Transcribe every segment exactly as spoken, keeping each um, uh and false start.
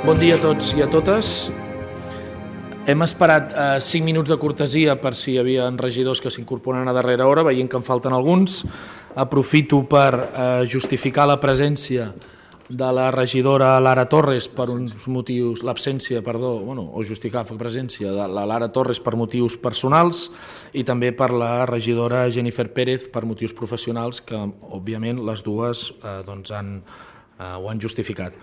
Bon dia a tots i a totes. Hem esperat eh, cinc minuts de cortesia per si hi havia regidors que s'incorporen a darrera hora, veient que en falten alguns. Aprofito per eh, justificar la presència de la regidora Lara Torres per uns motius, l'absència, perdó, bueno, o justificar la presència de la Lara Torres per motius personals i també per la regidora Jennifer Pérez per motius professionals que, òbviament, les dues eh, doncs han, eh, ho han justificat.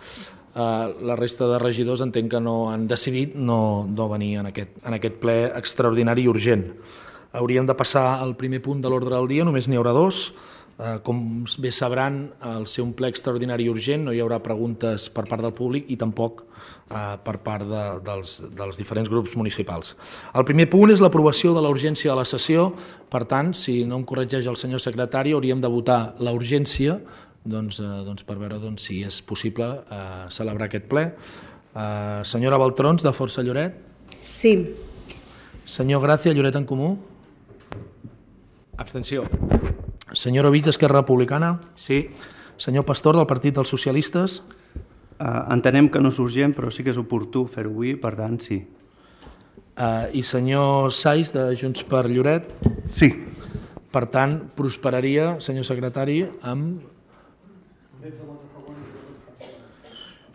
Uh, la resta de regidors entenc que no han decidit no, no venir en aquest, en aquest ple extraordinari i urgent. Hauríem de passar al primer punt de l'ordre del dia, només n'hi haurà dos. Uh, com bé sabran, al ser un ple extraordinari i urgent no hi haurà preguntes per part del públic i tampoc uh, per part de, dels, dels diferents grups municipals. El primer punt és l'aprovació de la urgència de la sessió. Per tant, si no em corregeix el senyor secretari, hauríem de votar la urgència Doncs, eh, doncs per veure doncs, si és possible eh, celebrar aquest ple. Eh, senyora Baltrons, de Força Lloret? Sí. Senyor Gràcia, Lloret en Comú? Abstenció. Senyor Ovich, d'Esquerra Republicana? Sí. Senyor Pastor, del Partit dels Socialistes? Uh, entenem que no és urgent, però sí que és oportú fer-ho avui, per tant, sí. Uh, I senyor Sais, de Junts per Lloret? Sí. Per tant, prosperaria, senyor secretari, amb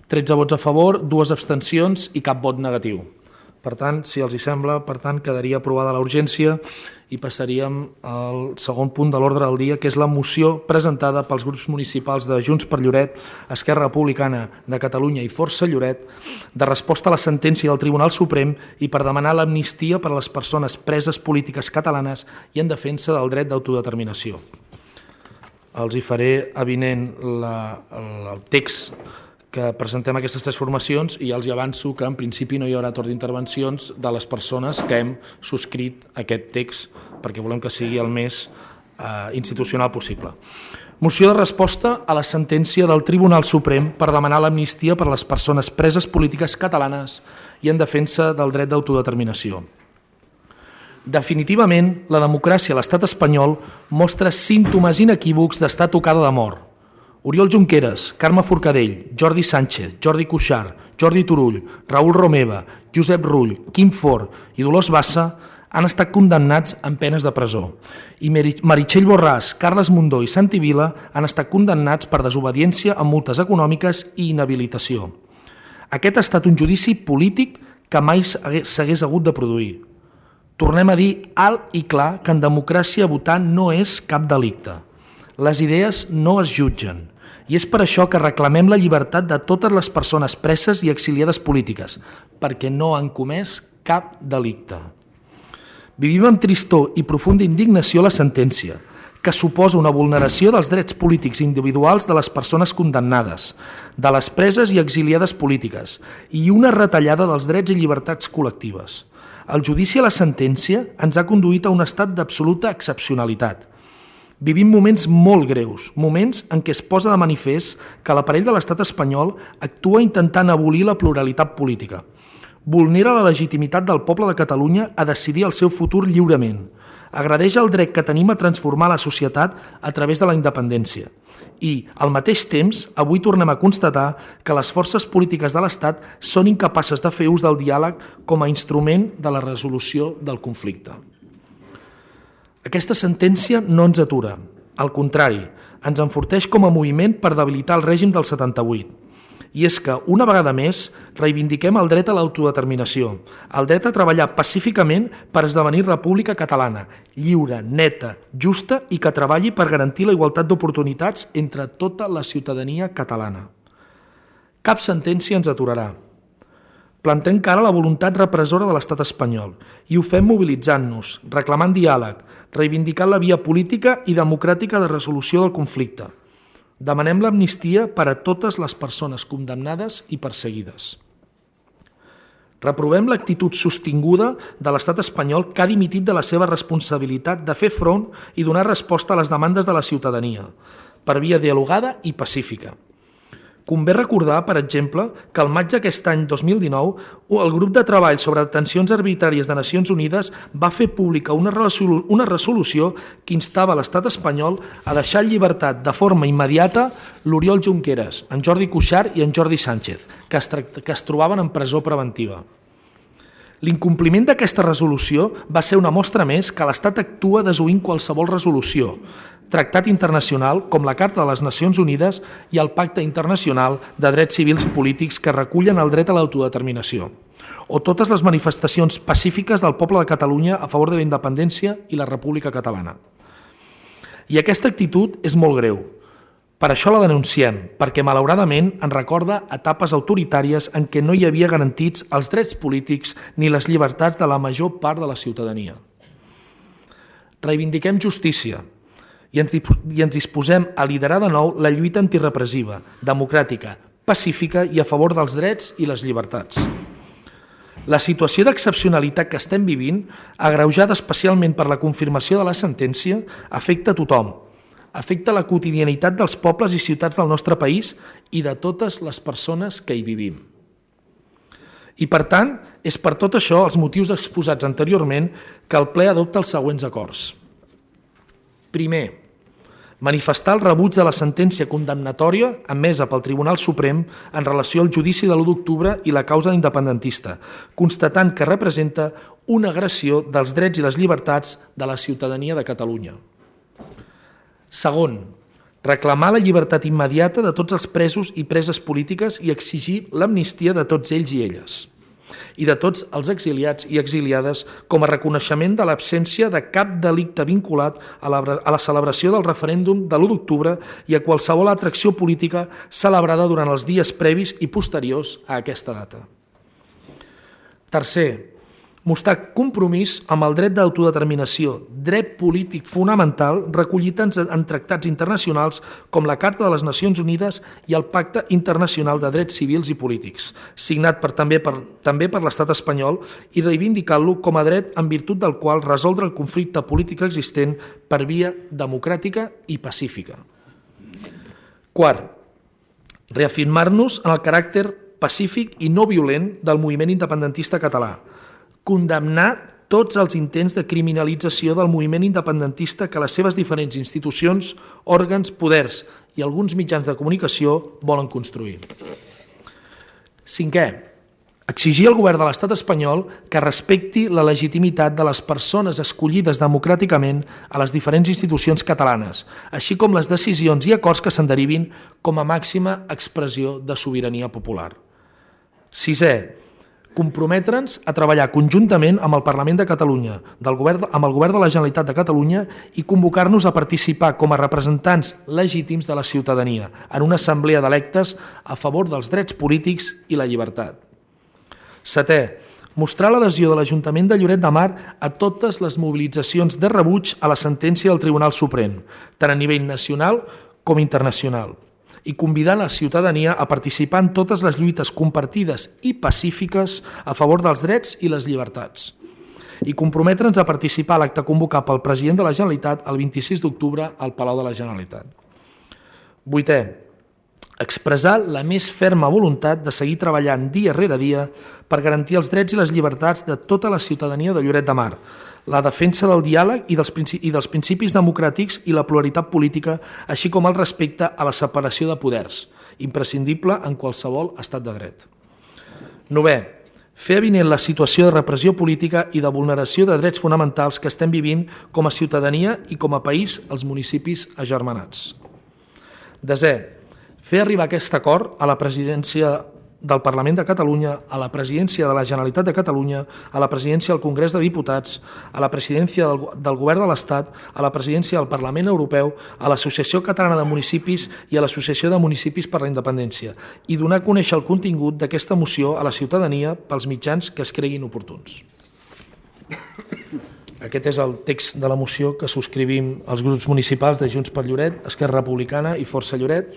tretze vots a favor, dues abstencions i cap vot negatiu. Per tant, si els hi sembla, per tant, quedaria aprovada la urgència i passaríem al segon punt de l'ordre del dia, que és la moció presentada pels grups municipals de Junts per Lloret, Esquerra Republicana de Catalunya i Força Lloret, de resposta a la sentència del Tribunal Suprem i per demanar l'amnistia per a les persones preses polítiques catalanes i en defensa del dret d'autodeterminació. Els hi faré avinent la, el text que presentem aquestes tres formacions i ja els hi avanço que en principi no hi haurà torn d'intervencions de les persones que hem subscrit aquest text perquè volem que sigui el més eh, institucional possible. Moció de resposta a la sentència del Tribunal Suprem per demanar l'amnistia per a les persones preses polítiques catalanes i en defensa del dret d'autodeterminació. Definitivament, la democràcia a l'estat espanyol mostra símptomes inequívocs d'estar tocada de mort. Oriol Junqueras, Carme Forcadell, Jordi Sánchez, Jordi Cuixart, Jordi Turull, Raül Romeva, Josep Rull, Quim Forn i Dolors Bassa han estat condemnats amb penes de presó. I Meritxell Borràs, Carles Mundó i Santi Vila han estat condemnats per desobediència amb multes econòmiques i inhabilitació. Aquest ha estat un judici polític que mai s'hagués hagut de produir. Tornem a dir alt i clar que en democràcia votar no és cap delicte. Les idees no es jutgen i és per això que reclamem la llibertat de totes les persones preses i exiliades polítiques, perquè no han comès cap delicte. Vivim amb tristor i profunda indignació la sentència, que suposa una vulneració dels drets polítics individuals de les persones condemnades, de les preses i exiliades polítiques i una retallada dels drets i llibertats col·lectives. El judici a la sentència ens ha conduït a un estat d'absoluta excepcionalitat. Vivim moments molt greus, moments en què es posa de manifest que l'aparell de l'estat espanyol actua intentant abolir la pluralitat política. Vulnera la legitimitat del poble de Catalunya a decidir el seu futur lliurement. Agredeix el dret que tenim a transformar la societat a través de la independència. I, al mateix temps, avui tornem a constatar que les forces polítiques de l'Estat són incapaces de fer ús del diàleg com a instrument de la resolució del conflicte. Aquesta sentència no ens atura. Al contrari, ens enforteix com a moviment per debilitar el règim del setanta-vuit. I és que, una vegada més, reivindiquem el dret a l'autodeterminació, el dret a treballar pacíficament per esdevenir república catalana, lliure, neta, justa i que treballi per garantir la igualtat d'oportunitats entre tota la ciutadania catalana. Cap sentència ens aturarà. Plantem cara a la voluntat repressora de l'estat espanyol i ho fem mobilitzant-nos, reclamant diàleg, reivindicant la via política i democràtica de resolució del conflicte. Demanem l'amnistia per a totes les persones condemnades i perseguides. Reprovem l'actitud sostinguda de l'estat espanyol que ha dimitit de la seva responsabilitat de fer front i donar resposta a les demandes de la ciutadania, per via dialogada i pacífica. Convé recordar, per exemple, que al maig d'aquest any dos mil dinou el grup de treball sobre detencions arbitràries de Nacions Unides va fer pública una resolu- una resolució que instava l'estat espanyol a deixar en llibertat de forma immediata l'Oriol Junqueras, en Jordi Cuixart i en Jordi Sánchez, que es, tract- que es trobaven en presó preventiva. L'incompliment d'aquesta resolució va ser una mostra més que l'Estat actua desoint qualsevol resolució, tractat internacional com la Carta de les Nacions Unides i el Pacte Internacional de Drets Civils i Polítics que recullen el dret a l'autodeterminació, o totes les manifestacions pacífiques del poble de Catalunya a favor de la independència i la República Catalana. I aquesta actitud és molt greu. Per això la denunciem, perquè malauradament ens recorda etapes autoritàries en què no hi havia garantits els drets polítics ni les llibertats de la major part de la ciutadania. Reivindiquem justícia i ens, i ens disposem a liderar de nou la lluita antirepressiva, democràtica, pacífica i a favor dels drets i les llibertats. La situació d'excepcionalitat que estem vivint, agreujada especialment per la confirmació de la sentència, afecta a tothom, afecta la quotidianitat dels pobles i ciutats del nostre país i de totes les persones que hi vivim. I per tant, és per tot això els motius exposats anteriorment que el ple adopta els següents acords. Primer, manifestar el rebuig de la sentència condemnatòria emesa pel Tribunal Suprem en relació al judici de l'u d'octubre i la causa independentista, constatant que representa una agressió dels drets i les llibertats de la ciutadania de Catalunya. Segon, reclamar la llibertat immediata de tots els presos i preses polítiques i exigir l'amnistia de tots ells i elles, i de tots els exiliats i exiliades com a reconeixement de l'absència de cap delicte vinculat a la, a la celebració del referèndum de l'u d'octubre i a qualsevol altra acció política celebrada durant els dies previs i posteriors a aquesta data. Tercer, mostrar compromís amb el dret d'autodeterminació, dret polític fonamental recollit en, en tractats internacionals com la Carta de les Nacions Unides i el Pacte Internacional de Drets Civils i Polítics, signat per, també, per, també per l'estat espanyol i reivindicant-lo com a dret en virtut del qual resoldre el conflicte polític existent per via democràtica i pacífica. Quart, reafirmar-nos en el caràcter pacífic i no violent del moviment independentista català, condemnar tots els intents de criminalització del moviment independentista que les seves diferents institucions, òrgans, poders i alguns mitjans de comunicació volen construir. Cinquè, exigir al govern de l'estat espanyol que respecti la legitimitat de les persones escollides democràticament a les diferents institucions catalanes, així com les decisions i acords que se'n derivin com a màxima expressió de sobirania popular. Sisè, comprometre'ns a treballar conjuntament amb el Parlament de Catalunya, del govern, amb el Govern de la Generalitat de Catalunya i convocar-nos a participar com a representants legítims de la ciutadania en una assemblea d'electes a favor dels drets polítics i la llibertat. Setè, mostrar l'adhesió de l'Ajuntament de Lloret de Mar a totes les mobilitzacions de rebuig a la sentència del Tribunal Suprem, tant a nivell nacional com internacional, i convidar la ciutadania a participar en totes les lluites compartides i pacífiques a favor dels drets i les llibertats, i comprometre'ns a participar a l'acte convocat pel president de la Generalitat el vint-i-sis d'octubre al Palau de la Generalitat. Vuitè, expressar la més ferma voluntat de seguir treballant dia rere dia per garantir els drets i les llibertats de tota la ciutadania de Lloret de Mar, la defensa del diàleg i dels, i dels principis democràtics i la pluralitat política, així com el respecte a la separació de poders, imprescindible en qualsevol estat de dret. Novè, fer avinent la situació de repressió política i de vulneració de drets fonamentals que estem vivint com a ciutadania i com a país als municipis agermanats. Desè, fer arribar aquest acord a la presidència del Parlament de Catalunya, a la presidència de la Generalitat de Catalunya, a la presidència del Congrés de Diputats, a la presidència del, del Govern de l'Estat, a la presidència del Parlament Europeu, a l'Associació Catalana de Municipis i a l'Associació de Municipis per la Independència i donar a conèixer el contingut d'aquesta moció a la ciutadania pels mitjans que es creguin oportuns. Aquest és el text de la moció que subscrivim els grups municipals de Junts per Lloret, Esquerra Republicana i Força Lloret.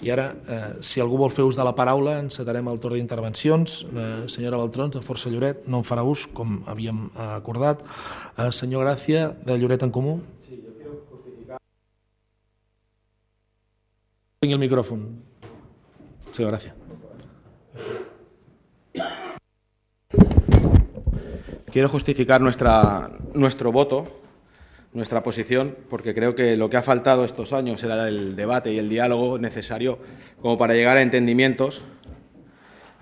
I ara, eh, si algú vol fer ús de la paraula, encetarem el torn d'intervencions. La senyora Baltrons, de Força Lloret, no en farà ús, com havíem acordat. Eh, senyor Gràcia, de Lloret en Comú. Sí, jo quiero justificar... Tingui el micròfon. Muchas gracias. Quiero justificar nuestra, nuestro voto, nuestra posición, porque creo que lo que ha faltado estos años era el debate y el diálogo necesario como para llegar a entendimientos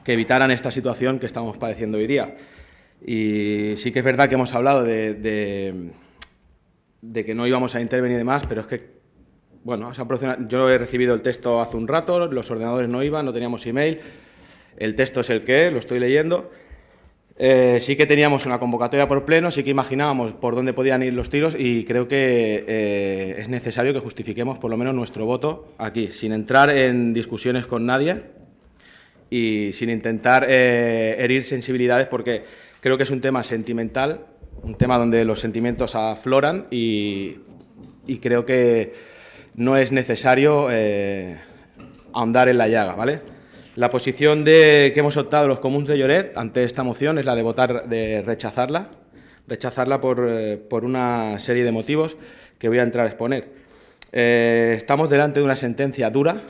que evitaran esta situación que estamos padeciendo hoy día. Y sí que es verdad que hemos hablado de, de, de que no íbamos a intervenir y demás, pero es que, bueno, yo he recibido el texto hace un rato, los ordenadores no iban, no teníamos email, el texto es el que es, lo estoy leyendo. Eh, sí que teníamos una convocatoria por pleno, sí que imaginábamos por dónde podían ir los tiros y creo que eh, es necesario que justifiquemos por lo menos nuestro voto aquí, sin entrar en discusiones con nadie y sin intentar eh, herir sensibilidades, porque creo que es un tema sentimental, un tema donde los sentimientos afloran y, y creo que no es necesario eh, ahondar en la llaga, ¿vale? La posición de, que hemos optado los comuns de Lloret ante esta moción es la de votar, de rechazarla, rechazarla por, eh, por una serie de motivos que voy a entrar a exponer. Eh, estamos delante de una sentencia dura,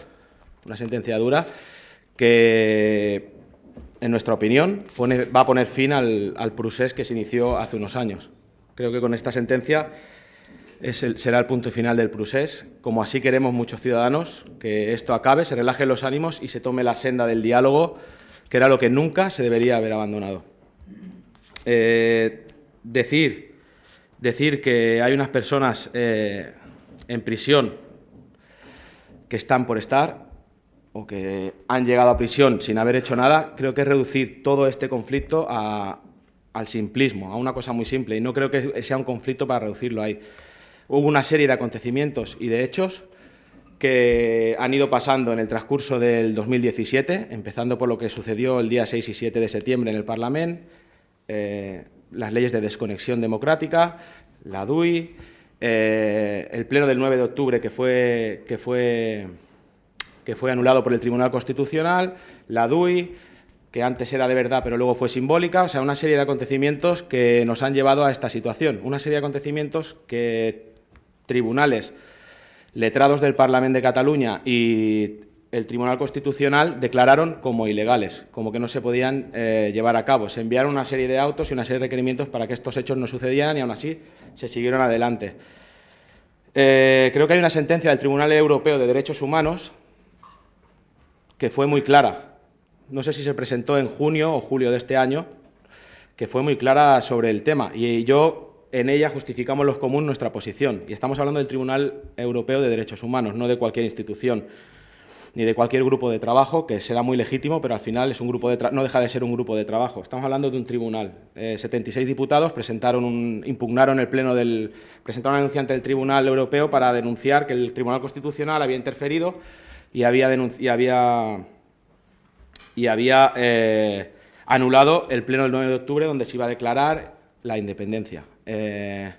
una sentencia dura que, en nuestra opinión, pone, va a poner fin al, al procés que se inició hace unos años. Creo que con esta sentencia es el, será el punto final del procés, como así queremos muchos ciudadanos, que esto acabe, se relajen los ánimos y se tome la senda del diálogo, que era lo que nunca se debería haber abandonado. Eh, decir, decir que hay unas personas eh, en prisión que están por estar o que han llegado a prisión sin haber hecho nada, creo que es reducir todo este conflicto a, al simplismo, a una cosa muy simple, y no creo que sea un conflicto para reducirlo ahí. Hubo una serie de acontecimientos y de hechos que han ido pasando en el transcurso del dos mil diecisiete, empezando por lo que sucedió el día seis y siete de septiembre en el Parlamento, eh, las leyes de desconexión democrática, la D U I, eh, el pleno del nueve de octubre que fue, que fue, que fue anulado por el Tribunal Constitucional, la D U I, que antes era de verdad pero luego fue simbólica, o sea, una serie de acontecimientos que nos han llevado a esta situación, una serie de acontecimientos que tribunales, letrados del Parlamento de Cataluña y el Tribunal Constitucional declararon como ilegales, como que no se podían eh, llevar a cabo. Se enviaron una serie de autos y una serie de requerimientos para que estos hechos no sucedieran y aún así se siguieron adelante. Eh, creo que hay una sentencia del Tribunal Europeo de Derechos Humanos que fue muy clara. No sé si se presentó en junio o julio de este año, que fue muy clara sobre el tema. Y yo, en ella, justificamos los comuns nuestra posición. Y estamos hablando del Tribunal Europeo de Derechos Humanos, no de cualquier institución, ni de cualquier grupo de trabajo, que será muy legítimo, pero al final es un grupo de tra- no deja de ser un grupo de trabajo. Estamos hablando de un tribunal. Eh, setenta y seis diputados presentaron un, impugnaron el pleno del, presentaron una denuncia ante el Tribunal Europeo para denunciar que el Tribunal Constitucional había interferido y había, denunci- y había, y había eh, anulado el pleno del nueve de octubre, donde se iba a declarar la independencia. Eh,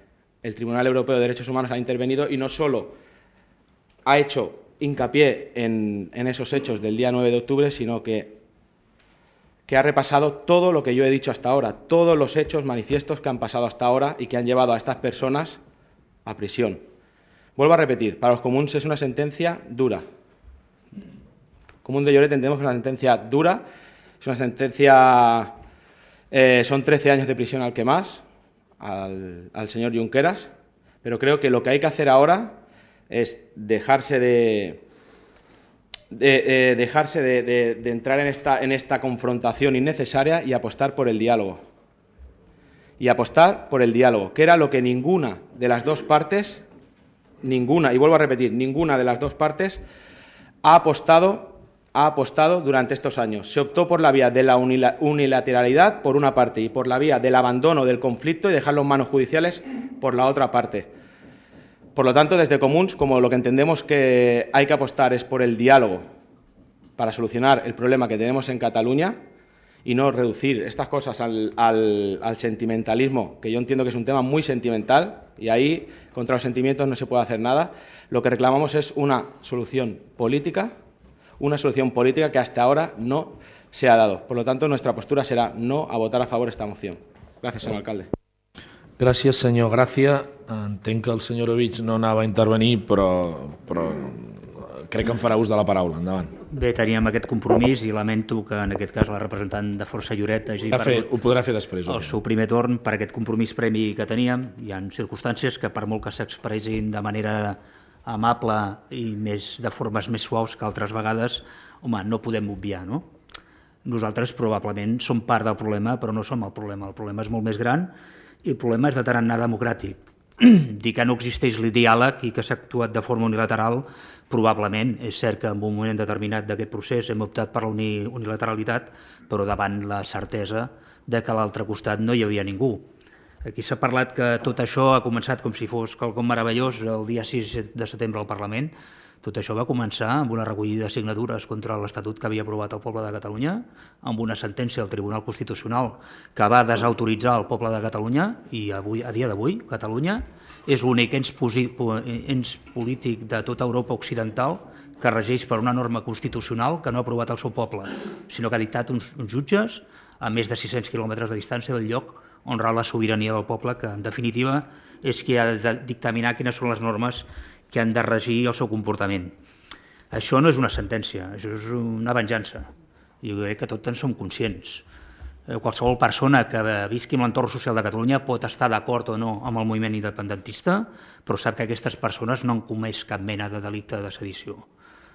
el Tribunal Europeo de Derechos Humanos ha intervenido y no solo ha hecho hincapié en, en esos hechos del día nueve de octubre, sino que, que ha repasado todo lo que yo he dicho hasta ahora, todos los hechos manifiestos que han pasado hasta ahora y que han llevado a estas personas a prisión. Vuelvo a repetir, para los comuns es una sentencia dura. Común de Lloret entendemos que es una sentencia dura, es una sentencia, eh, son trece años de prisión al que más, al, al señor Junqueras, pero creo que lo que hay que hacer ahora es dejarse de, de, eh, dejarse de, de, de entrar en esta, en esta confrontación innecesaria y apostar por el diálogo. Y apostar por el diálogo, que era lo que ninguna de las dos partes, ninguna, y vuelvo a repetir, ninguna de las dos partes ha apostado ha apostado durante estos años. Se optó por la vía de la unilateralidad por una parte y por la vía del abandono del conflicto y dejarlo en manos judiciales por la otra parte. Por lo tanto, desde Comuns, como lo que entendemos que hay que apostar es por el diálogo para solucionar el problema que tenemos en Cataluña y no reducir estas cosas al, al, al sentimentalismo, que yo entiendo que es un tema muy sentimental y ahí contra los sentimientos no se puede hacer nada. Lo que reclamamos es una solución política, una solución política que hasta ahora no se ha dado. Por lo tanto, nuestra postura será no a votar a favor de esta moción. Gràcies, senyor alcalde. Gràcies, senyor Gràcia. Entenc que el senyor Ovich no anava a intervenir, però, però crec que em farà ús de la paraula. Endavant. Bé, teníem aquest compromís i lamento que en aquest cas la representant de Força Lloret hagi perdut ho podrà fer després. El seu primer torn per aquest compromís previ que teníem. Hi ha circumstàncies que per molt que s'expressin de manera amable i més, de formes més suaus que altres vegades, home, no podem obviar, no? Nosaltres probablement som part del problema, però no som el problema. El problema és molt més gran i el problema és de tarannà democràtic. Dir que no existeix el diàleg i que s'ha actuat de forma unilateral, probablement és cert que en un moment determinat d'aquest procés hem optat per la unilateralitat, però davant la certesa de que a l'altre costat no hi havia ningú. Aquí s'ha parlat que tot això ha començat com si fos quelcom meravellós el dia sis de setembre al Parlament. Tot això va començar amb una recollida de signatures contra l'Estatut que havia aprovat el poble de Catalunya, amb una sentència del Tribunal Constitucional que va desautoritzar el poble de Catalunya i avui, a dia d'avui Catalunya és l'únic ens, ens polític de tota Europa occidental que regeix per una norma constitucional que no ha aprovat el seu poble, sinó que ha dictat uns, uns jutges a més de sis-cents quilòmetres de distància del lloc on rau la sobirania del poble, que en definitiva és qui ha de dictaminar quines són les normes que han de regir el seu comportament. Això no és una sentència, això és una venjança. Jo crec que tots en som conscients. Qualsevol persona que visqui en l'entorn social de Catalunya pot estar d'acord o no amb el moviment independentista, però sap que aquestes persones no han comès cap mena de delicte de sedició.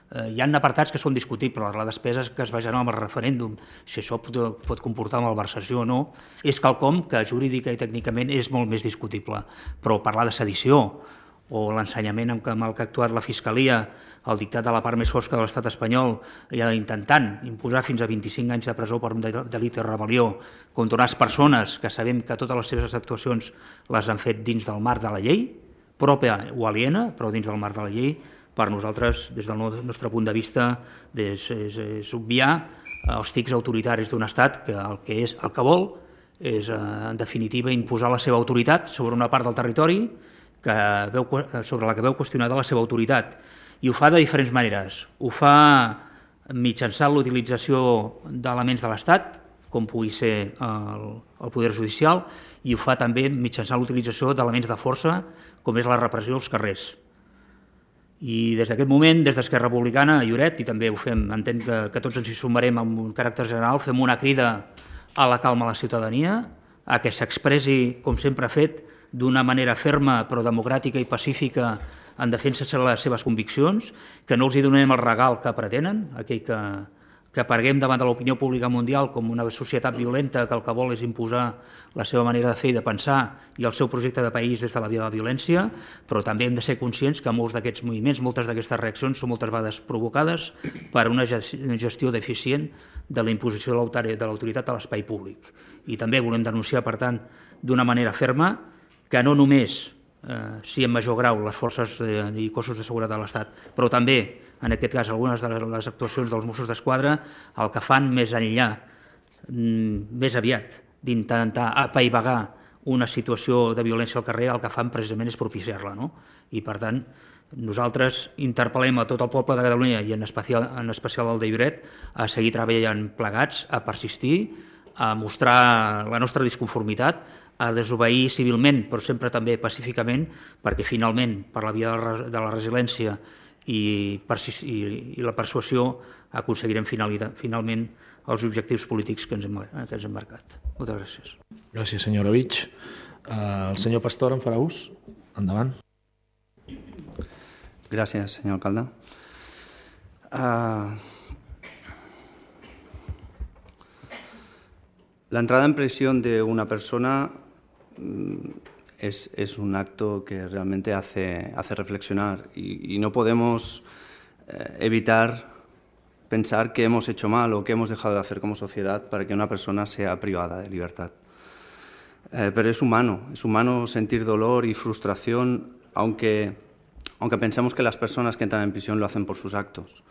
Hi ha apartats que són discutibles, la despesa que es va generar amb el referèndum, si això pot, pot comportar malversació o no, és quelcom que jurídica i tècnicament és molt més discutible, però parlar de sedició o l'ensenyament amb el que ha actuat la Fiscalia, el dictat de la part més fosca de l'estat espanyol, intentant imposar fins a vint-i-cinc anys de presó per un delicte de rebel·lió contra unes persones que sabem que totes les seves actuacions les han fet dins del marc de la llei, pròpia o aliena, però dins del marc de la llei, per nosaltres, des del nostre punt de vista, és, és, és obviar els tics autoritaris d'un estat que el que, és, el que vol és, en definitiva, imposar la seva autoritat sobre una part del territori que veu, sobre la que veu qüestionada la seva autoritat. I ho fa de diferents maneres. Ho fa mitjançant l'utilització d'elements de l'Estat, com pugui ser el, el Poder Judicial, i ho fa també mitjançant l'utilització d'elements de força, com és la repressió als carrers. I des d'aquest moment, des d'Esquerra Republicana, a Lloret, i també ho fem, entenc que, que tots ens hi sumarem amb un caràcter general, fem una crida a la calma a la ciutadania, a que s'expressi, com sempre ha fet, d'una manera ferma però democràtica i pacífica en defensa de les seves conviccions, que no els hi donem el regal que pretenen, aquell que, que apareguem davant de l'opinió pública mundial com una societat violenta que el que vol és imposar la seva manera de fer i de pensar i el seu projecte de país des de la via de la violència, però també hem de ser conscients que molts d'aquests moviments, moltes d'aquestes reaccions són moltes vegades provocades per una gestió deficient de la imposició de l'autoritat a l'espai públic. I també volem denunciar, per tant, d'una manera ferma que no només eh, sí en major grau les forces de, i cossos de seguretat de l'Estat, però també, en aquest cas, algunes de les actuacions dels Mossos d'Esquadra, el que fan més enllà, més aviat, d'intentar apaivagar una situació de violència al carrer, el que fan precisament és propiciar-la, no? I, per tant, nosaltres interpel·lem a tot el poble de Catalunya i en especial, en especial el de Lloret a seguir treballant plegats, a persistir, a mostrar la nostra disconformitat, a desobeir civilment, però sempre també pacíficament, perquè finalment, per la via de la resiliència i, i, i la persuasió, aconseguirem finalment els objectius polítics que ens hem, que ens hem marcat. Moltes gràcies. Gràcies, senyor Orovich. Uh, el senyor Pastor en farà ús. Endavant. Gràcies, senyor alcalde. Uh... La entrada en prisión de una persona es, es un acto que realmente hace, hace reflexionar y, y no podemos eh, evitar pensar que hemos hecho mal o que hemos dejado de hacer como sociedad para que una persona sea privada de libertad. Eh, pero es humano, es humano sentir dolor y frustración, aunque, aunque pensemos que las personas que entran en prisión lo hacen por sus actos.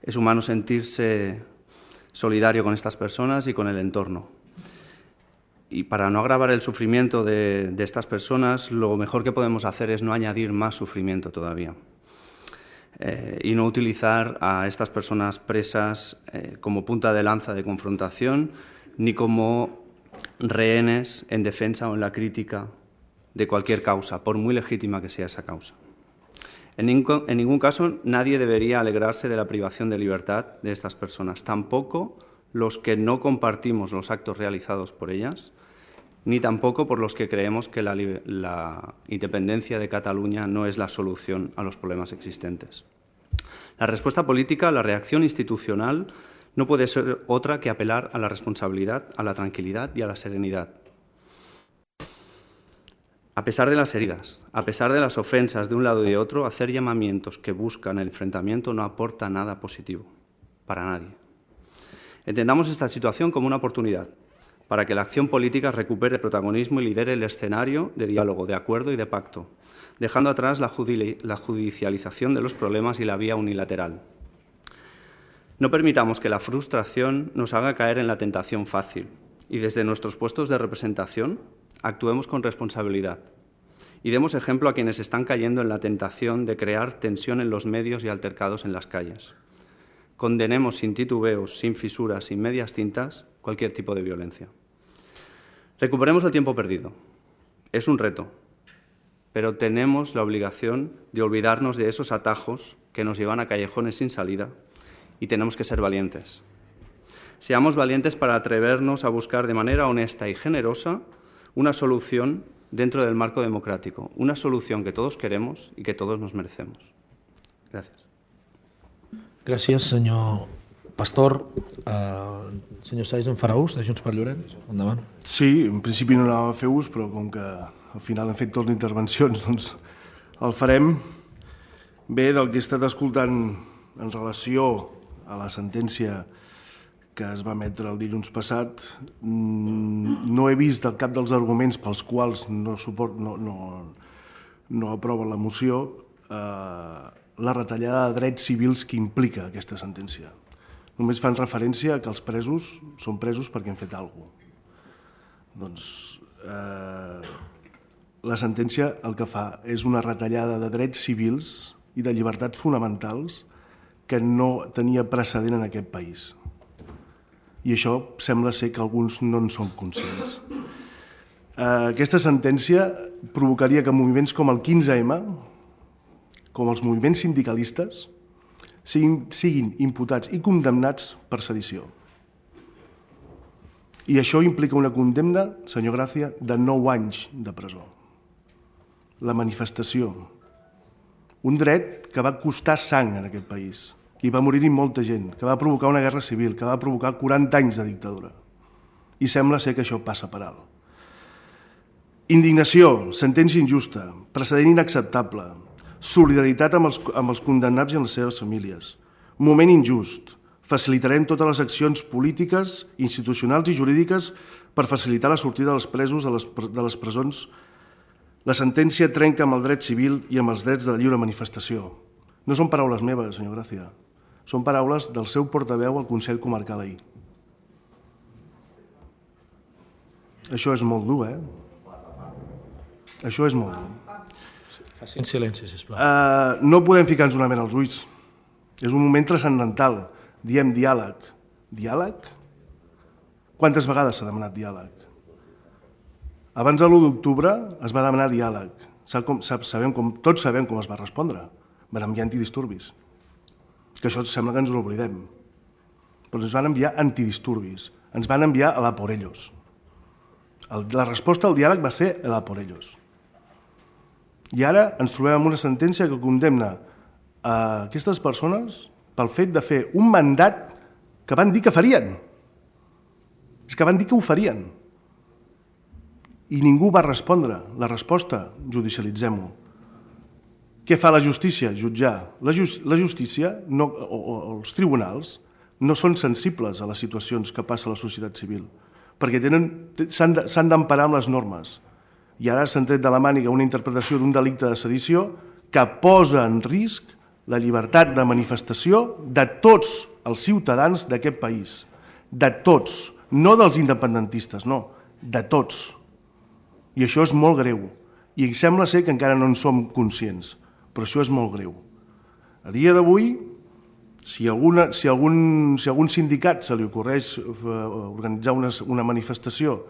Es humano sentirse solidario con estas personas y con el entorno. Y para no agravar el sufrimiento de, de estas personas, lo mejor que podemos hacer es no añadir más sufrimiento todavía. Eh, y no utilizar a estas personas presas eh, como punta de lanza de confrontación, ni como rehenes en defensa o en la crítica de cualquier causa, por muy legítima que sea esa causa. En ningún, en ningún caso nadie debería alegrarse de la privación de libertad de estas personas, tampoco los que no compartimos los actos realizados por ellas, ni tampoco por los que creemos que la, la independencia de Cataluña no es la solución a los problemas existentes. La respuesta política, la reacción institucional, no puede ser otra que apelar a la responsabilidad, a la tranquilidad y a la serenidad. A pesar de las heridas, a pesar de las ofensas de un lado y de otro, hacer llamamientos que buscan el enfrentamiento no aporta nada positivo para nadie. Entendamos esta situación como una oportunidad para que la acción política recupere protagonismo y lidere el escenario de diálogo, de acuerdo y de pacto, dejando atrás la judicialización de los problemas y la vía unilateral. No permitamos que la frustración nos haga caer en la tentación fácil y desde nuestros puestos de representación actuemos con responsabilidad y demos ejemplo a quienes están cayendo en la tentación de crear tensión en los medios y altercados en las calles. Condenemos sin titubeos, sin fisuras, sin medias tintas, cualquier tipo de violencia. Recuperemos el tiempo perdido. Es un reto, pero tenemos la obligación de olvidarnos de esos atajos que nos llevan a callejones sin salida y tenemos que ser valientes. Seamos valientes para atrevernos a buscar de manera honesta y generosa una solución dentro del marco democrático, una solución que todos queremos y que todos nos merecemos. Gràcies. Gràcies, senyor Pastor. Uh, senyor Saiz, en farà ús de Junts per Llorenç? Endavant. Sí, en principi no anava a fer ús, però com que al final hem fet totes les intervencions, doncs el farem. Bé, del que he estat escoltant en relació a la sentència que es va emetre el dilluns passat, no he vist el cap dels arguments pels quals no, suport, no, no, no aprova la moció eh, la retallada de drets civils que implica aquesta sentència. Només fan referència a que els presos són presos perquè han fet alguna cosa. Doncs eh, la sentència el que fa és una retallada de drets civils i de llibertats fonamentals que no tenia precedent en aquest país. I això sembla ser que alguns no en són conscients. Aquesta sentència provocaria que moviments com el quinze ema, com els moviments sindicalistes, siguin, siguin imputats i condemnats per sedició. I això implica una condemna, senyor Gràcia, de nou anys de presó. La manifestació. Un dret que va costar sang en aquest país, que hi va morir-hi molta gent, que va provocar una guerra civil, que va provocar quaranta anys de dictadura. I sembla ser que això passa per alt. Indignació, sentència injusta, precedent inacceptable, solidaritat amb els, amb els condemnats i amb les seves famílies, moment injust, facilitarem totes les accions polítiques, institucionals i jurídiques per facilitar la sortida dels presos de les, de les presons. La sentència trenca amb el dret civil i amb els drets de la lliure manifestació. No són paraules meves, senyor Gràcia. Són paraules del seu portaveu al Consell Comarcal ahir. Això és molt dur, eh? Això és molt dur. En silenci, sisplau. Uh, no podem ficar-nos una mena als ulls. És un moment transcendental. Diem diàleg. Diàleg? Quantes vegades s'ha demanat diàleg? Abans de l'u d'octubre es va demanar diàleg. Sap com, sap, sabem com, tots sabem com es va respondre. Van enviar antidisturbis. Que això sembla que ens ho oblidem. Però ens van enviar antidisturbis. Ens van enviar a la por ellos. El, la resposta al diàleg va ser a la por ellos. I ara ens trobem amb una sentència que condemna a aquestes persones pel fet de fer un mandat que van dir que farien. És que van dir que ho farien. I ningú va respondre. La resposta, judicialitzem-ho. Què fa la justícia? Jutjar. La, just, la justícia no, o, o els tribunals no són sensibles a les situacions que passa a la societat civil, perquè s'han d'emparar amb les normes. I ara s'han tret de la màniga una interpretació d'un delicte de sedició que posa en risc la llibertat de manifestació de tots els ciutadans d'aquest país. De tots. No dels independentistes, no. De tots. I això és molt greu. I sembla ser que encara no en som conscients. Però això és molt greu. A dia d'avui, si, alguna, si, algun, si algun sindicat se li ocorreix organitzar una, una manifestació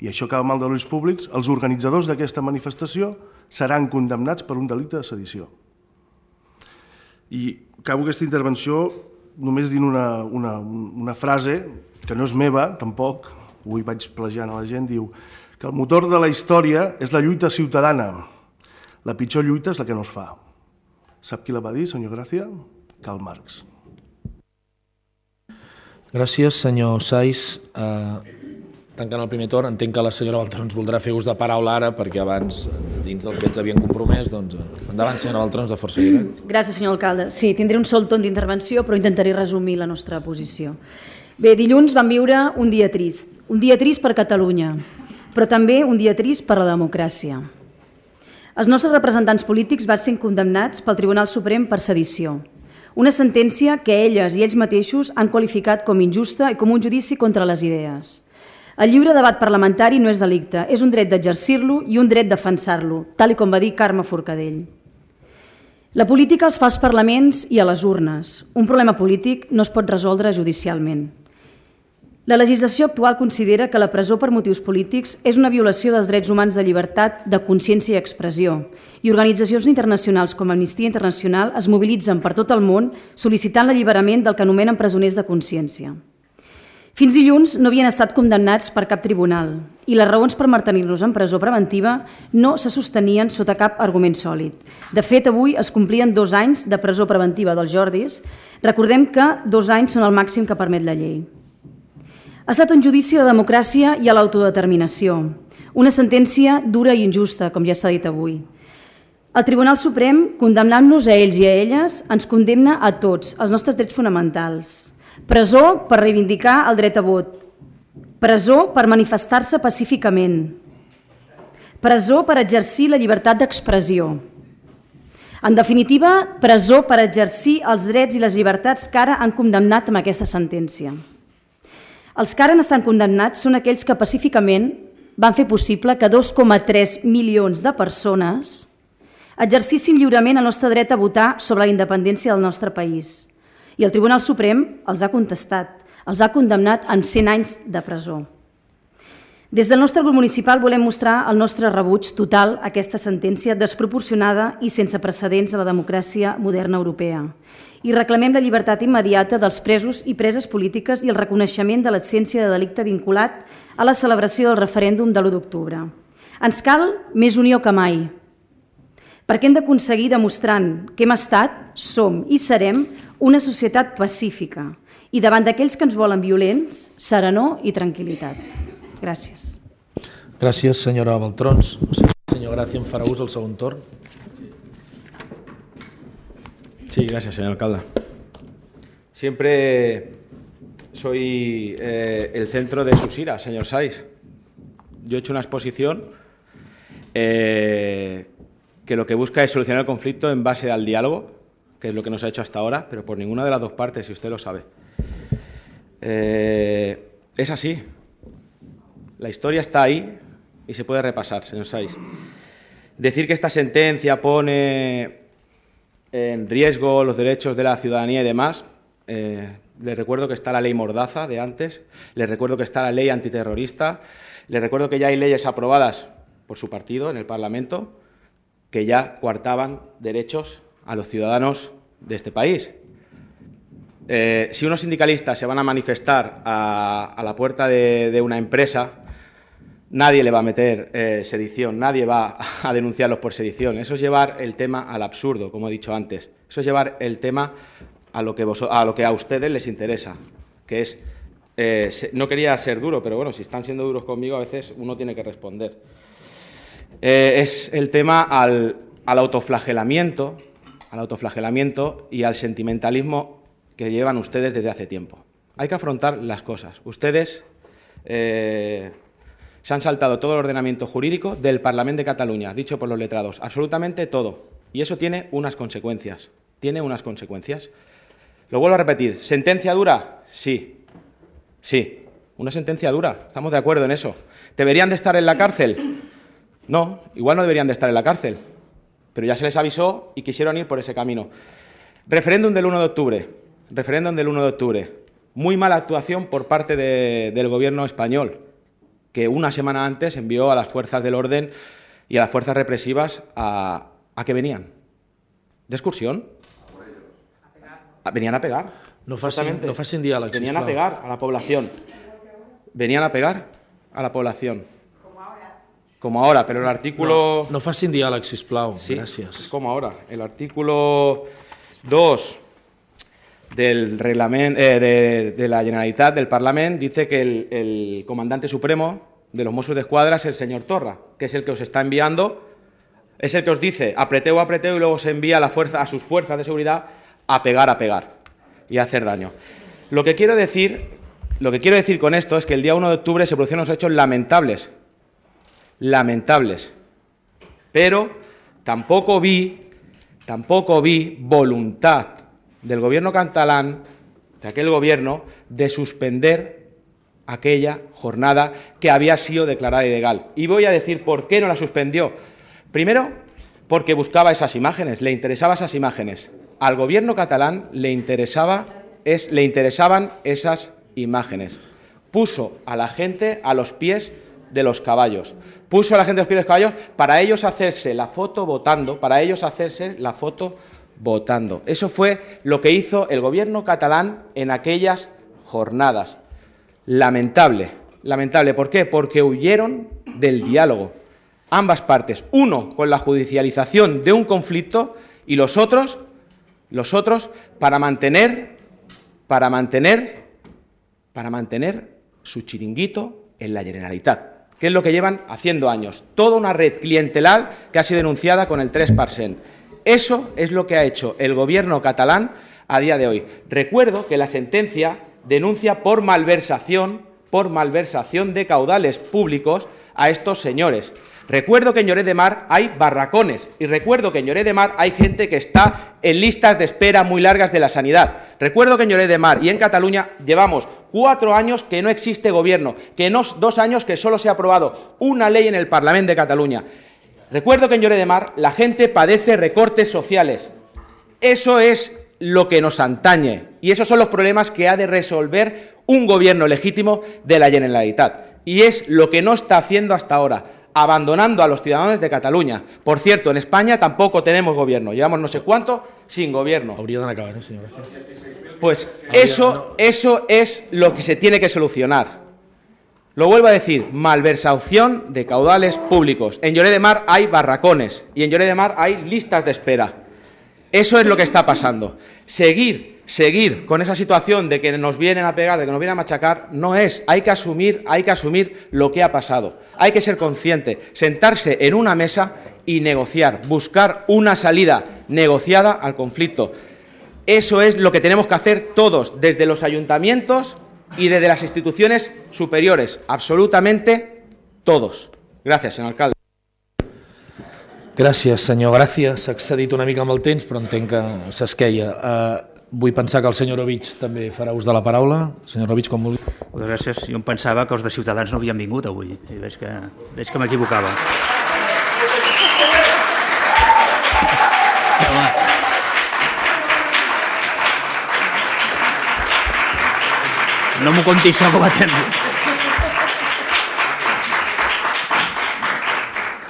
i això acaba mal de l'ulls públics, els organitzadors d'aquesta manifestació seran condemnats per un delicte de sedició. I acabo aquesta intervenció només dient una, una, una frase que no és meva, tampoc, avui vaig plagiant a la gent, diu que el motor de la història és la lluita ciutadana. La pitjor lluita és la que no es fa. Sap qui la va dir, senyor Gràcia? Karl Marx. Gràcies, senyor Saiz. Uh, tancant el primer torn, entenc que la senyora Baltrons voldrà fer ús de paraula ara, perquè abans, dins del que ens havien compromès, doncs, endavant, senyora Baltrons, de Força Lliure. Gràcies, senyor alcalde. Sí, tindré un sol torn d'intervenció, però intentaré resumir la nostra posició. Bé, dilluns vam viure un dia trist. Un dia trist per Catalunya, però també un dia trist per la democràcia. Els nostres representants polítics van ser condemnats pel Tribunal Suprem per sedició. Una sentència que elles i ells mateixos han qualificat com injusta i com un judici contra les idees. El lliure debat parlamentari no és delicte, és un dret d'exercir-lo i un dret de defensar-lo, tal com va dir Carme Forcadell. La política es fa als parlaments i a les urnes. Un problema polític no es pot resoldre judicialment. La legislació actual considera que la presó per motius polítics és una violació dels drets humans de llibertat, de consciència i expressió, i organitzacions internacionals com Amnistia Internacional es mobilitzen per tot el món sol·licitant l'alliberament del que anomenen presoners de consciència. Fins dilluns no havien estat condemnats per cap tribunal i les raons per mantenir-los en presó preventiva no se sostenien sota cap argument sòlid. De fet, avui es complien dos anys de presó preventiva dels Jordis. Recordem que dos anys són el màxim que permet la llei. Ha estat un judici a la democràcia i a l'autodeterminació, una sentència dura i injusta, com ja s'ha dit avui. El Tribunal Suprem, condemnant-nos a ells i a elles, ens condemna a tots, els nostres drets fonamentals. Presó per reivindicar el dret a vot, presó per manifestar-se pacíficament, presó per exercir la llibertat d'expressió. En definitiva, presó per exercir els drets i les llibertats que ara han condemnat amb aquesta sentència. Els que ara estan condemnats són aquells que pacíficament van fer possible que dos coma tres milions de persones exercissin lliurement el nostre dret a votar sobre la independència del nostre país. I el Tribunal Suprem els ha contestat, els ha condemnat amb cent anys de presó. Des del nostre grup municipal volem mostrar el nostre rebuig total a aquesta sentència desproporcionada i sense precedents a la democràcia moderna europea. I reclamem la llibertat immediata dels presos i preses polítiques i el reconeixement de l'absència de delicte vinculat a la celebració del referèndum de l'u d'octubre. Ens cal més unió que mai, perquè hem d'aconseguir demostrant que hem estat, som i serem una societat pacífica i davant d'aquells que ens volen violents, serenor i tranquil·litat. Gràcies. Gràcies, senyora Baltrons. Senyor Gràcia, em farà ús el segon torn. Sí, gracias, señor alcalde. Siempre soy eh, el centro de sus iras, señor Saiz. Yo he hecho una exposición eh, que lo que busca es solucionar el conflicto en base al diálogo, que es lo que nos ha hecho hasta ahora, pero por ninguna de las dos partes, si usted lo sabe. Eh, es así. La historia está ahí y se puede repasar, señor Saiz. Decir que esta sentencia pone en riesgo los derechos de la ciudadanía y demás, eh, les recuerdo que está la ley Mordaza de antes, les recuerdo que está la ley antiterrorista, les recuerdo que ya hay leyes aprobadas por su partido en el Parlamento que ya coartaban derechos a los ciudadanos de este país. Eh, si unos sindicalistas se van a manifestar a, a la puerta de, de una empresa, nadie le va a meter eh, sedición, nadie va a denunciarlos por sedición. Eso es llevar el tema al absurdo, como he dicho antes. Eso es llevar el tema a lo que, vos, a, lo que a ustedes les interesa, que es... Eh, se, no quería ser duro, pero bueno, si están siendo duros conmigo, a veces uno tiene que responder. Eh, es el tema al, al autoflagelamiento, al autoflagelamiento y al sentimentalismo que llevan ustedes desde hace tiempo. Hay que afrontar las cosas. Ustedes... Eh, Se han saltado todo el ordenamiento jurídico del Parlamento de Cataluña, dicho por los letrados, absolutamente todo. Y eso tiene unas consecuencias, tiene unas consecuencias. Lo vuelvo a repetir, ¿sentencia dura? Sí, sí, una sentencia dura, estamos de acuerdo en eso. ¿Deberían de estar en la cárcel? No, igual no deberían de estar en la cárcel, pero ya se les avisó y quisieron ir por ese camino. Referéndum del uno de octubre, referéndum del uno de octubre. Muy mala actuación por parte de, del Gobierno español, que una semana antes envió a las fuerzas del orden y a las fuerzas represivas a, a que venían. ¿De excursión? Venían a pegar. No facin, no facin diàleg, sisplau. Venían a pegar a la población. Venían a pegar a la población. Como ahora. Como ahora, pero el artículo... No, no facin diàleg, sisplau. Sí, Gràcies. como ahora. El artículo dos del reglamento eh, de, de la Generalitat, del Parlament, dice que el, el comandante supremo de los Mossos d'Esquadra es el señor Torra, que es el que os está enviando, es el que os dice apreteo, apreteo y luego se envía a, la fuerza, a sus fuerzas de seguridad a pegar, a pegar y a hacer daño. Lo que quiero decir, lo que quiero decir con esto es que el día uno de octubre se produjeron unos hechos lamentables, lamentables, pero tampoco vi, tampoco vi voluntad del gobierno catalán, de aquel gobierno, de suspender aquella jornada que había sido declarada ilegal. Y voy a decir por qué no la suspendió. Primero, porque buscaba esas imágenes, le interesaban esas imágenes. Al gobierno catalán le, interesaba, es, le interesaban esas imágenes. Puso a la gente a los pies de los caballos. Puso a la gente a los pies de los caballos para ellos hacerse la foto votando, para ellos hacerse la foto votando. Eso fue lo que hizo el gobierno catalán en aquellas jornadas. Lamentable, lamentable. ¿Por qué? Porque huyeron del diálogo. Ambas partes. Uno, con la judicialización de un conflicto y los otros, los otros para mantener, para mantener, para mantener su chiringuito en la Generalitat, que es lo que llevan haciendo años. Toda una red clientelar que ha sido denunciada con el tres per cent. Eso es lo que ha hecho el gobierno catalán a día de hoy. Recuerdo que la sentencia denuncia por malversación, por malversación de caudales públicos a estos señores. Recuerdo que en Lloret de Mar hay barracones y recuerdo que en Lloret de Mar hay gente que está en listas de espera muy largas de la sanidad. Recuerdo que en Lloret de Mar y en Cataluña llevamos cuatro años que no existe gobierno, que no dos años que solo se ha aprobado una ley en el Parlamento de Cataluña. Recuerdo que en Lloret de Mar la gente padece recortes sociales. Eso es lo que nos antañe y esos son los problemas que ha de resolver un gobierno legítimo de la Generalitat. Y es lo que no está haciendo hasta ahora, abandonando a los ciudadanos de Cataluña. Por cierto, en España tampoco tenemos gobierno, llevamos no sé cuánto sin gobierno. Hauria d'anar acabant, eh, senyor. Pues eso, eso es lo que se tiene que solucionar. Lo vuelvo a decir, malversación de caudales públicos. En Lloret de Mar hay barracones y en Lloret de Mar hay listas de espera. Eso es lo que está pasando. Seguir, seguir con esa situación de que nos vienen a pegar, de que nos vienen a machacar, no es. Hay que asumir, hay que asumir lo que ha pasado. Hay que ser consciente, sentarse en una mesa y negociar, buscar una salida negociada al conflicto. Eso es lo que tenemos que hacer todos, desde los ayuntamientos y desde las instituciones superiores, absolutamente todos. Gracias, señor alcalde. Gràcies, senyor. Gràcies. S'ha excedit una mica amb el temps, però entenc que s'esqueia. Uh, vull pensar que el senyor Ovich també farà ús de la paraula. Senyor Ovich, com vulgui. Moltes gràcies. Jo em pensava que els de Ciutadans no havien vingut avui. I veig que, veig que m'equivocava. No m'ho conti això com a temps.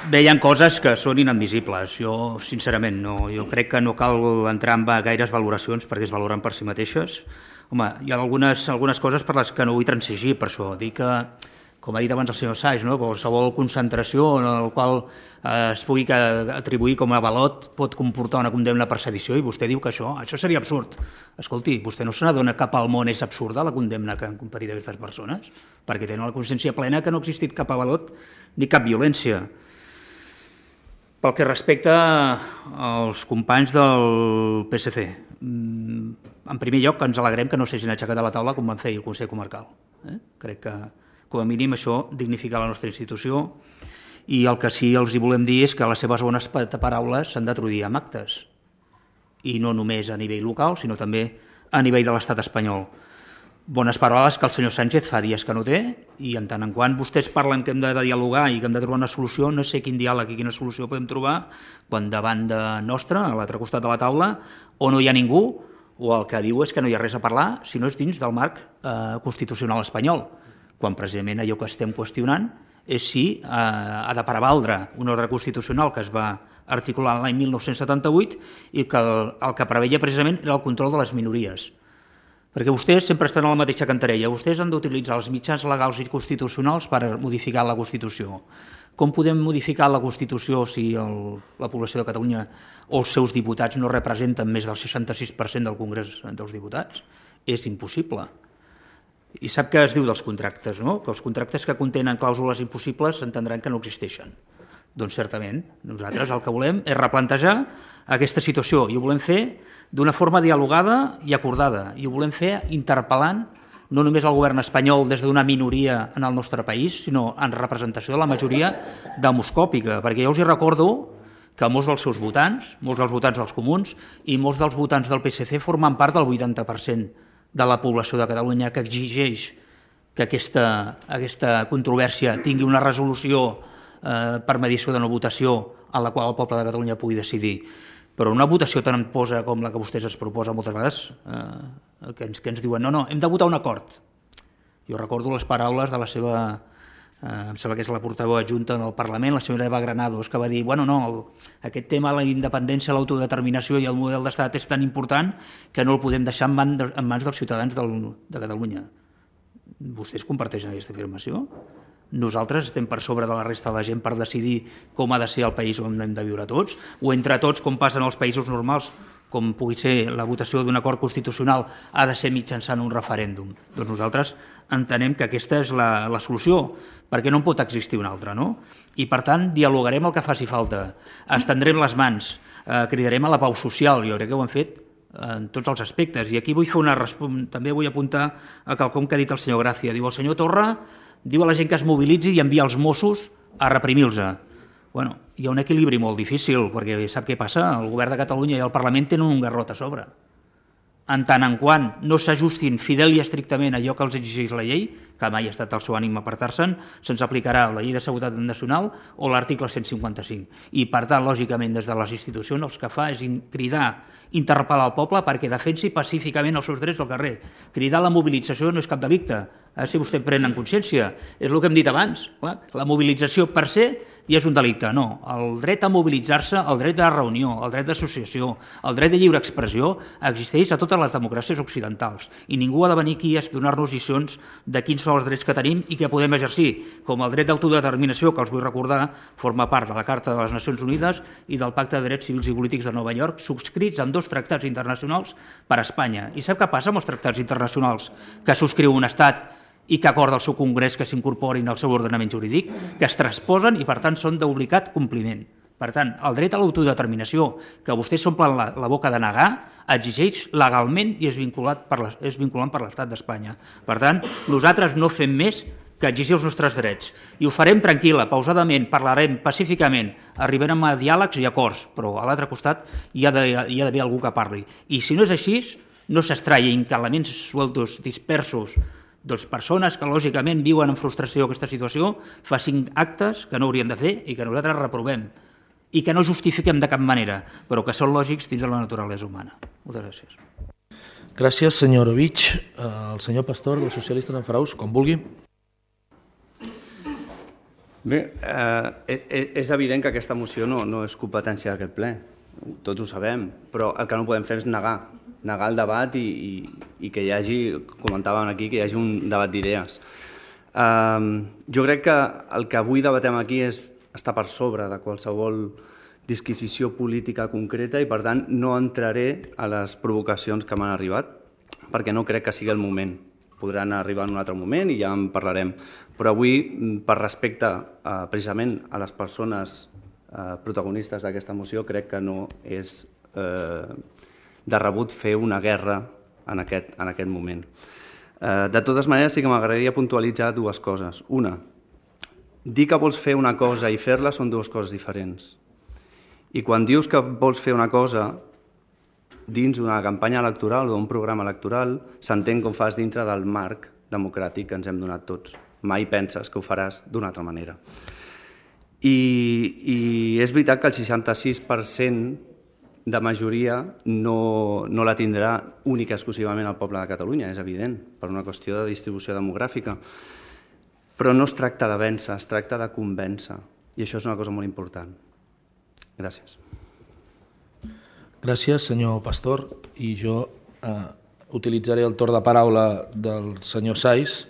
Bé, hi ha coses que són inadmissibles. Jo, sincerament, no. Jo crec que no cal entrar en gaires valoracions perquè es valoren per si mateixes. Home, hi ha algunes, algunes coses per les que no vull transigir, per això. Dic que, com ha dit abans el senyor Saix, no? Qualsevol concentració en la qual eh, es pugui atribuir com a avalot pot comportar una condemna per sedició i vostè diu que això, això seria absurd. Escolti, vostè no se n'adona cap al món és absurda la condemna que han comparit aquestes persones? Perquè tenen la consciència plena que no ha existit cap avalot ni cap violència. Pel que respecta als companys del P S C, en primer lloc ens alegrem que no s'hagin aixecat a la taula com van fer el Consell Comarcal. Eh? Crec que, com a mínim, això dignifica la nostra institució i el que sí els hi volem dir és que les seves bones paraules s'han de traduir amb actes i no només a nivell local, sinó també a nivell de l'estat espanyol. Bones paraules que el senyor Sánchez fa dies que no té i en tant en quant vostès parlen que hem de dialogar i que hem de trobar una solució, no sé quin diàleg i quina solució podem trobar quan davant de nostra, a l'altre costat de la taula, o no hi ha ningú o el que diu és que no hi ha res a parlar si no és dins del marc eh, constitucional espanyol, quan precisament allò que estem qüestionant és si eh, ha de prevaldre un ordre constitucional que es va articulat l'any mil nou-cents setanta-vuit i que el, el que preveia precisament era el control de les minories. Perquè vostès sempre estan a la mateixa cantarella. Vostès han d'utilitzar els mitjans legals i constitucionals per modificar la Constitució. Com podem modificar la Constitució si el, la població de Catalunya o els seus diputats no representen més del seixanta-sis per cent del Congrés dels Diputats? És impossible. I sap què es diu dels contractes, no? Que els contractes que contenen clàusules impossibles s'entendran que no existeixen. Doncs certament, nosaltres el que volem és replantejar aquesta situació i ho volem fer d'una forma dialogada i acordada. I ho volem fer interpel·lant no només el govern espanyol des d'una minoria en el nostre país, sinó en representació de la majoria demoscòpica, perquè jo us hi recordo que molts dels seus votants, molts dels votants dels comuns i molts dels votants del P S C formen part del vuitanta per cent de la població de Catalunya que exigeix que aquesta, aquesta controvèrsia tingui una resolució eh, per mediació de no votació en la qual el poble de Catalunya pugui decidir. Però una votació tan imposa com la que vostès es proposen moltes vegades, eh, que, ens, que ens diuen no, no, hem de votar un acord. Jo recordo les paraules de la seva, eh, em sembla que és la portaveu adjunta en el Parlament, la senyora Eva Granados, que va dir, bueno, no, el, aquest tema, la independència, l'autodeterminació i el model d'estat és tan important que no el podem deixar en, man, en mans dels ciutadans del, de Catalunya. Vostès comparteixen aquesta afirmació? Nosaltres estem per sobre de la resta de la gent per decidir com ha de ser el país on hem de viure tots, o entre tots, com passen als països normals, com pugui ser la votació d'un acord constitucional, ha de ser mitjançant un referèndum. Doncs nosaltres entenem que aquesta és la, la solució, perquè no en pot existir una altra, no? I per tant, dialogarem el que faci falta, estendrem les mans, eh, cridarem a la pau social, jo crec que ho hem fet en tots els aspectes. I aquí vull fer una també vull apuntar a quelcom que ha dit el senyor Gràcia. Diu, el senyor Torra diu a la gent que es mobilitzi i envia els Mossos a reprimir-los. Bueno, hi ha un equilibri molt difícil, perquè sap què passa? El govern de Catalunya i el Parlament tenen un garrot a sobre. En tant en quant no s'ajustin fidel i estrictament a allò que els exigeix la llei, que mai ha estat el seu ànim apartar-se'n, se'ns aplicarà la llei de seguretat nacional o l'article cent cinquanta-cinc. I, per tant, lògicament, des de les institucions el que fa és cridar, interpel·lar el poble perquè defensi pacíficament els seus drets al carrer. Cridar la mobilització no és cap delicte, eh, si vostè pren en consciència. És el que hem dit abans. Clar, la mobilització per se i és un delicte. No, el dret a mobilitzar-se, el dret de reunió, el dret d'associació, el dret de lliure expressió existeix a totes les democràcies occidentals i ningú ha de venir aquí a donar-nos lliçons de quins són els drets que tenim i que podem exercir, com el dret d'autodeterminació, que els vull recordar, forma part de la Carta de les Nacions Unides i del Pacte de Drets Civils i Polítics de Nova York, subscrits amb dos tractats internacionals per a Espanya. I sap què passa amb els tractats internacionals que subscriu un estat i que acorda el seu Congrés que s'incorporin al seu ordenament jurídic, que es transposen i, per tant, són d'obligat compliment. Per tant, el dret a l'autodeterminació, que vostès s'omplen la, la boca de negar, exigeix legalment i és, vinculat per la, és vinculant per l'Estat d'Espanya. Per tant, nosaltres no fem més que exigir els nostres drets. I ho farem tranquil·la, pausadament, parlarem pacíficament, arribarem a diàlegs i acords, però a l'altre costat hi ha d'haver algú que parli. I si no és així, no s'estrallin que elements sueltos, dispersos, doncs persones que lògicament viuen en frustració aquesta situació facin actes que no haurien de fer i que nosaltres reprovem i que no justifiquem de cap manera, però que són lògics dins de la naturalesa humana. Moltes gràcies. Gràcies, senyor Orovich. El senyor Pastor, del Socialistes en Faraus, com vulgui. Bé, eh, és evident que aquesta moció no, no és competència d'aquest ple, tots ho sabem, però el que no podem fer és negar, negar el debat i, i, i que hi hagi, comentàvem aquí, que hi hagi un debat d'idees. Eh, jo crec que el que avui debatem aquí és estar per sobre de qualsevol disquisició política concreta i, per tant, no entraré a les provocacions que m'han arribat, perquè no crec que sigui el moment. Podran arribar en un altre moment i ja en parlarem. Però avui, per respecte eh, precisament a les persones eh, protagonistes d'aquesta moció, crec que no és eh, de rebut fer una guerra en aquest, en aquest moment. Eh, de totes maneres, sí que m'agradaria puntualitzar dues coses. Una, dir que vols fer una cosa i fer-la són dues coses diferents. I quan dius que vols fer una cosa dins d'una campanya electoral o d'un programa electoral, s'entén com fas dintre del marc democràtic que ens hem donat tots. Mai penses que ho faràs d'una altra manera. I, i és veritat que el seixanta-sis per cent de majoria no, no la tindrà única i exclusivament el poble de Catalunya, és evident, per una qüestió de distribució demogràfica. Però no es tracta de vèncer, es tracta de convèncer. I això és una cosa molt important. Gràcies. Gràcies, senyor Pastor. I jo eh, utilitzaré el torn de paraula del senyor Saiz.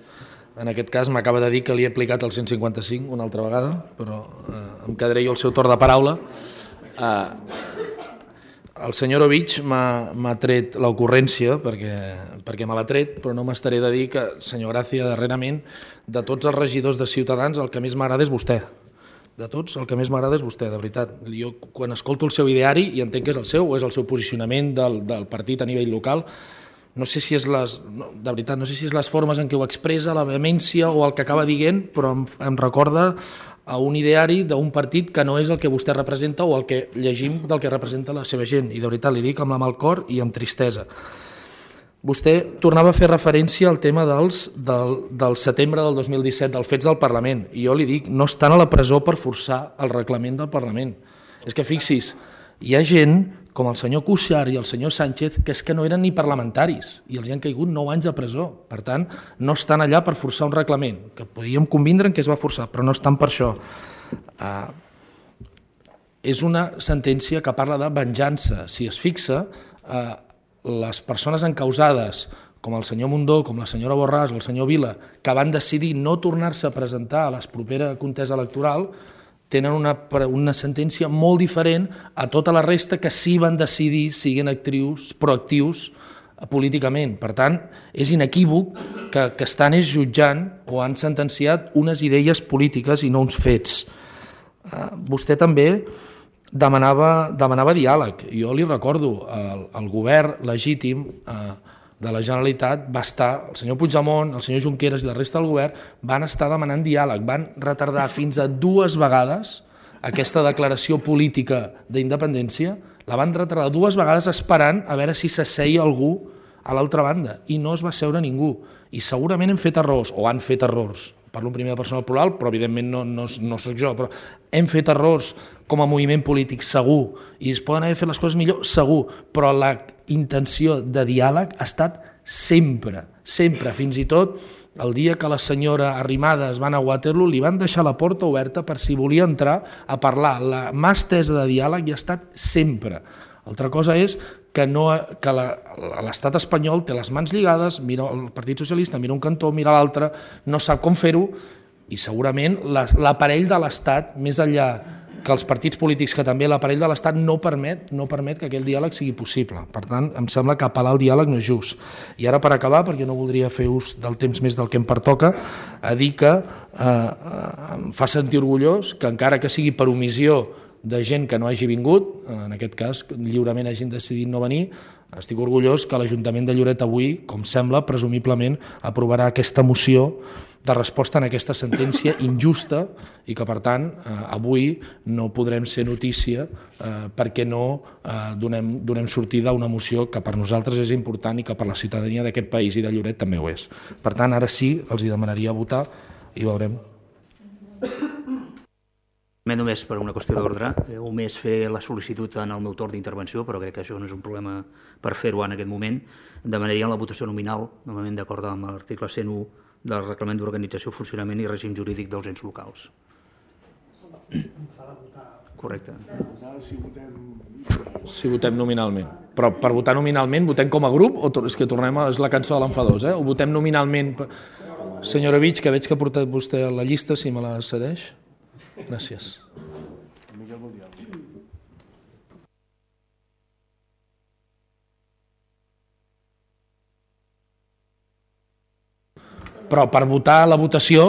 En aquest cas m'acaba de dir que li he aplicat el cent cinquanta-cinc una altra vegada, però eh, em quedaré jo el seu torn de paraula. Eh, el senyor Ovich m'ha tret l'ocurrència, perquè, perquè me l'ha tret, però no m'estaré de dir que, senyor Gràcia, darrerament, de tots els regidors de Ciutadans, el que més m'agrada és vostè. De tots, el que més m'agrada és vostè, de veritat. Jo, quan escolto el seu ideari, i entenc que és el seu, o és el seu posicionament del, del partit a nivell local, no sé si és les, no, de veritat, no sé si és les formes en què ho expressa, la vehemència o el que acaba dient, però em, em recorda a un ideari d'un partit que no és el que vostè representa o el que llegim del que representa la seva gent. I de veritat li dic amb la mà al cor i amb tristesa. Vostè tornava a fer referència al tema dels, del, del setembre del dos mil disset, dels fets del Parlament. I jo li dic, no estan a la presó per forçar el reglament del Parlament. És que fixis, hi ha gent com el senyor Cuixart i el senyor Sánchez, que és que no eren ni parlamentaris i els hi han caigut nou anys de presó. Per tant, no estan allà per forçar un reglament, que podíem convindre en què es va forçar, però no estan per això. Uh, és una sentència que parla de venjança. Si es fixa, uh, les persones encausades, com el senyor Mundó, com la senyora Borràs o el senyor Vila, que van decidir no tornar-se a presentar a la propera contesa electoral, tenen una, una sentència molt diferent a tota la resta que sí van decidir siguin actius, proactius políticament. Per tant, és inequívoc que, que estan és jutjant o han sentenciat unes idees polítiques i no uns fets. Uh, vostè també demanava, demanava diàleg. Jo li recordo, el, el govern legítim uh, de la Generalitat va estar, el senyor Puigdemont, el senyor Junqueras i la resta del govern van estar demanant diàleg, van retardar fins a dues vegades aquesta declaració política d'independència, la van retardar dues vegades esperant a veure si s'asseia algú a l'altra banda i no es va seure ningú. I segurament hem fet errors, o han fet errors, parlo en primera persona plural, però evidentment no, no, no soc jo, però hem fet errors com a moviment polític, segur, i es poden haver fet les coses millor, segur, però la intenció de diàleg ha estat sempre, sempre, fins i tot el dia que la senyora Arrimadas van a Waterloo li van deixar la porta oberta per si volia entrar a parlar. La mà estesa de diàleg hi ha estat sempre. Altra cosa és que, no, que l'estat espanyol té les mans lligades, mira el Partit Socialista, mira un cantó, mira l'altre, no sap com fer-ho i segurament l'aparell de l'estat, més enllà que els partits polítics, que també l'aparell de l'Estat no permet, no permet que aquell diàleg sigui possible. Per tant, em sembla que apel·lar al diàleg no és just. I ara, per acabar, perquè no voldria fer ús del temps més del que em pertoca, a dir que eh, em fa sentir orgullós que encara que sigui per omissió de gent que no hagi vingut, en aquest cas lliurement hagin decidit no venir, estic orgullós que l'Ajuntament de Lloret avui, com sembla, presumiblement aprovarà aquesta moció de resposta en aquesta sentència injusta i que, per tant, eh, avui no podrem ser notícia eh, perquè no eh, donem, donem sortida a una moció que per nosaltres és important i que per la ciutadania d'aquest país i de Lloret també ho és. Per tant, ara sí, els hi demanaria votar i veurem. Només per una qüestió d'ordre, o més fer la sol·licitud en el meu torn d'intervenció, però crec que això no és un problema per fer-ho en aquest moment, demanaria la votació nominal, normalment d'acord amb l'article cent u del Reglament d'Organització, Funcionament i Règim Jurídic dels Ens Locals. Correcte. Si votem nominalment. Però per votar nominalment, votem com a grup o és que tornem a... és la cançó de l'enfadós, eh? O votem nominalment... Senyora Vich, que veig que ha portat vostè a la llista, si me la cedeix. Gràcies. Però per votar la votació,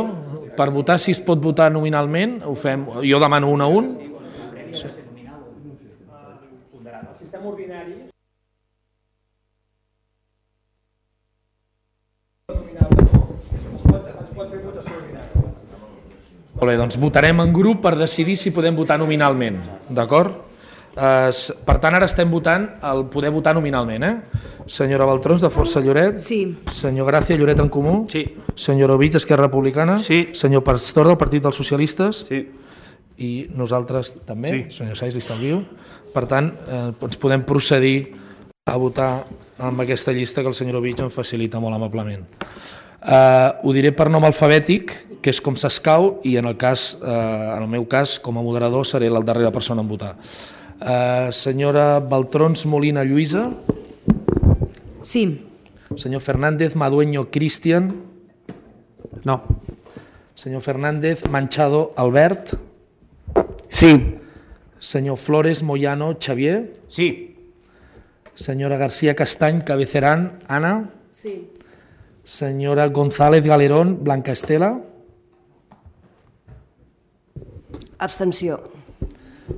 per votar si es pot votar nominalment, ho fem, jo demano un a un. Sí. El sistema ordinari... Molt bé, doncs votarem en grup per decidir si podem votar nominalment, d'acord? Eh, per tant, ara estem votant el poder votar nominalment, eh? Senyora Baltrons, de Força Lloret. Sí. Senyor Gràcia, Lloret en Comú. Sí. Senyor Ovich, Esquerra Republicana. Sí. Senyor Pastor, del Partit dels Socialistes. Sí. I nosaltres també. Sí. Senyor Saiz, li estalvio. Per tant, eh, ens podem procedir a votar amb aquesta llista que el senyor Ovich em facilita molt amablement. Eh, ho diré per nom alfabètic, que és com s'escau, i en el, cas, eh, en el meu cas, com a moderador, seré la darrera persona en votar. Eh, senyora Baltrons Molina Lluïsa. Sí. Senyor Fernández Madueño Cristian. No. Senyor Fernández Manchado Albert. Sí. Senyor Flores Moyano Xavier. Sí. Senyora García Castany Cabecerán Ana. Sí. Senyora González Galerón Blanca Estela. Abstenció.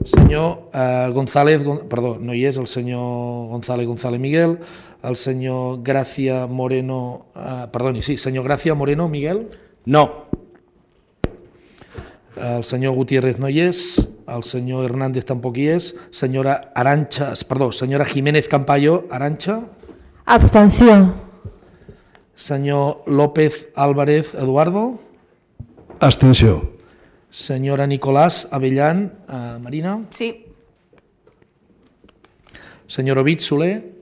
Senyor eh, González, perdó, no hi és, el senyor González González Miguel, el senyor Gracia Moreno, eh, perdoni, sí, senyor Gracia Moreno Miguel. No. El senyor Gutiérrez no hi és, el senyor Hernández tampoc hi és, senyora Arancha, perdó, senyora Jiménez Campayo Arancha. Abstenció. Senyor López Álvarez Eduardo. Abstenció. Senyora Nicolás Avellán eh, Marina. Sí. Senyor Ovid Soler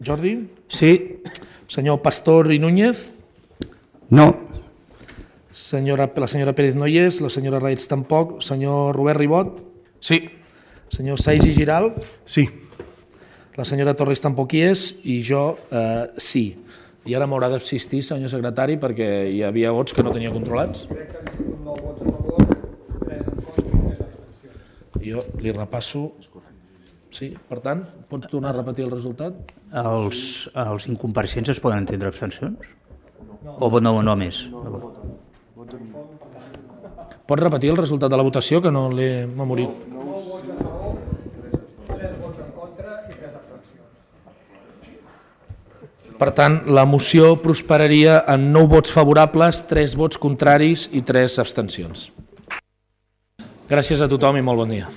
Jordi. Sí. Senyor Pastor i Núñez. No. Senyora, la senyora Pérez no hi és, la senyora Raets tampoc, senyor Robert Ribot. Sí. Senyor Saiz i Giral. Sí. La senyora Torres tampoc hi és i jo eh, sí. I ara m'haurà d'assistir, senyor secretari, perquè hi havia vots que no tenia controlats. Jo li repasso. Sí, per tant, pots tornar a repetir el resultat? Els, els incompareixents es poden entendre abstencions? O no, no més? Pots repetir el resultat de la votació, que no l'he memorit? Per tant, la moció prosperaria en nou vots favorables, tres vots contraris i tres abstencions. Gràcies a tothom i molt bon dia.